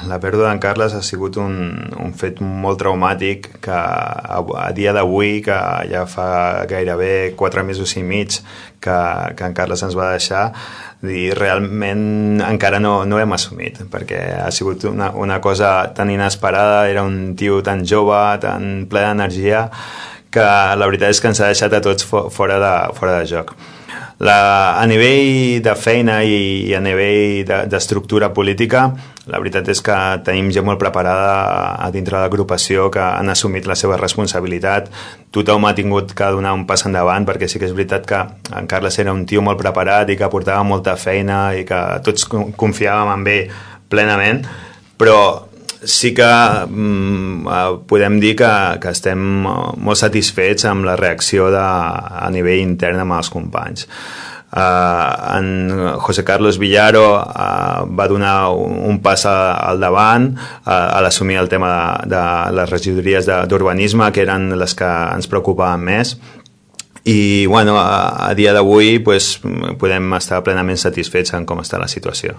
La pèrdua d'en Carles ha sigut un fet molt traumàtic que a dia d'avui, que ja fa gairebé 4 mesos i mig que en Carles ens va deixar, i realment encara no hem assumit, perquè ha sigut una cosa tan inesperada, era un tio tan jove, tan ple d'energia, que la veritat és que ens ha deixat a tots fora de joc. A nivell de feina i a nivell d'estructura política, la veritat és que tenim gent molt preparada a dintre de l'agrupació, que han assumit la seva responsabilitat. Tothom ha tingut que donar un pas endavant, perquè sí que és veritat que en Carles era un tio molt preparat i que portava molta feina i que tots confiàvem en ell plenament, però sí que podem dir que estem molt satisfets amb la reacció a nivell intern amb els companys. En José Carlos Villaro va donar un pas al davant a l'assumir el tema de les regidories d'urbanisme, que eren les que ens preocupaven més, i bueno, a dia d'avui podem estar plenament satisfets en com està la situació.